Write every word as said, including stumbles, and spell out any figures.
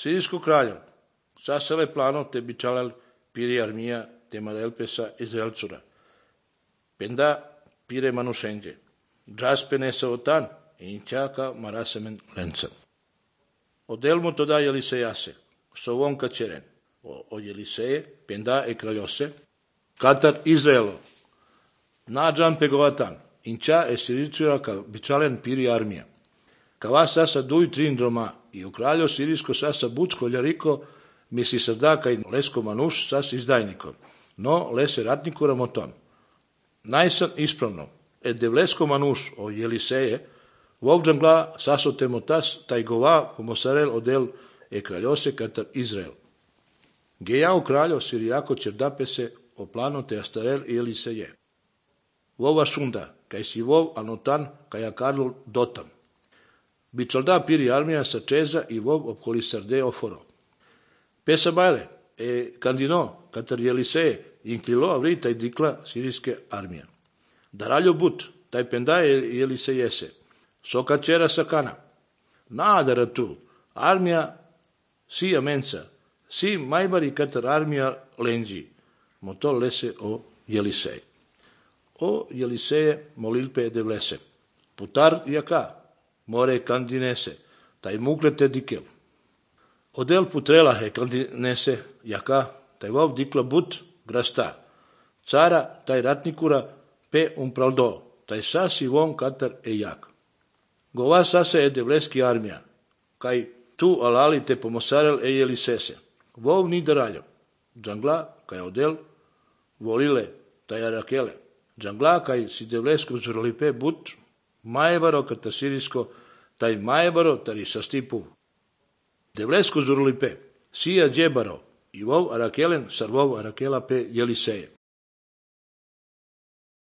Sirijsko kraljo, sasele plano te bičalal piri armija te marelpesa Izraelcura. Penda pire manusenge. Džaspenesa otan inčaka marasemen lenca. Odelmu toda Jelisejase, sovon kačeren. O Jeliseje, penda e kraljose, katar Izraelo. Nađan pegovatan, inča e Sirijcura ka bičalen piri armija. Kava sasa duj trin droma, i u kraljo Sirijsko sasa bucko ljariko, misli sadaka i lesko manuš sas izdajnikom, no lese ratnikura moton. Najsan ispravno, e devlesko manuš o Jeliseje, vovđangla saso temotas tajgova pomosarel odel e kraljose katar Izrael. Geja u kraljo Sirijako čerdapese o plano te astarel i Jeliseje. Vova šunda, kaj si vov anotan kaj akarlo dotam. Bičalda piri armija sa čeza i vov opkoli sarde oforo. Pesa bajle, e kandino, katar Jeliseje, inklilo avri taj dikla sirijske armija. Daraljo but, taj pendaje Jelisejese, soka čera sakana. Nadara tu, armija si amenca, si majbari katar armija lenđi, moto lese o Jelisej. O Jeliseje molilpe devlese, putar jaka, more kandinese, taj muklete dikel. Odel putrela he kandinese jaka, taj vov dikla but grasta. Cara taj ratnikura pe umpraldo, taj sasi von katar e jak. Gova sasa e devleski armija, kaj tu alali te pomosarel e Jelisese. Vov ni daraljo, džangla kaj odel volile taj arakele. Džangla kaj si devlesko zurolipe but, majbaro katar Sirijsko, taj majbaro tari sastipu. Devlesko zurolipe, sija džebaro, i vov arakelen sar vov arakela pe Jeliseje.